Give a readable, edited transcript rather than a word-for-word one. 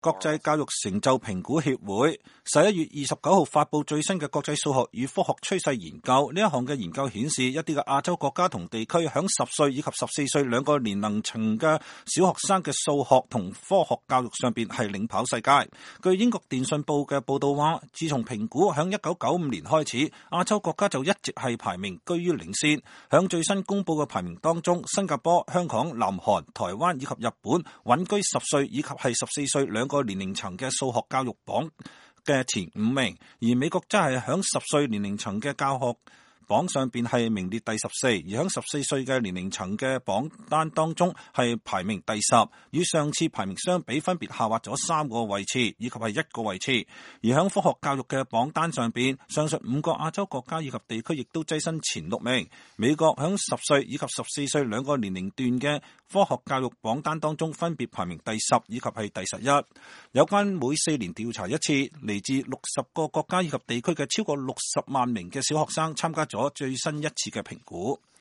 國際教育成就評估協會11月29號發布最新嘅國際數學與科學趨勢研究。呢一項嘅研究顯示，一啲嘅亞洲國家同地區響10歲以及14歲兩個年齡層嘅小學生嘅數學同科學教育上邊係領跑世界。據英國電訊報嘅報道話，自從評估響1995年開始，亞洲國家就一直係排名居於領先。響最新公布嘅排名當中，新加坡、香港、南韓、台灣以及日本穩居10歲以及係14歲兩個年齡層嘅數學教育榜嘅前5名，而美國則係響10歲年齡層嘅教學榜上邊係名列第14，而響14歲嘅年齡層嘅榜單當中係排名第10，與上次排名相比分別下滑咗3個位置以及係1個位置。而響科學教育嘅榜單上邊，上述5個亞洲國家以及地區亦都躋身前6名。美國響10歲以及14歲兩個年齡段嘅科學教育榜單當中分別排名第10以及係第11。有關每4年調查一次，嚟自60個國家以及地區嘅超過60萬名嘅小學生參加咗最新一次嘅評估。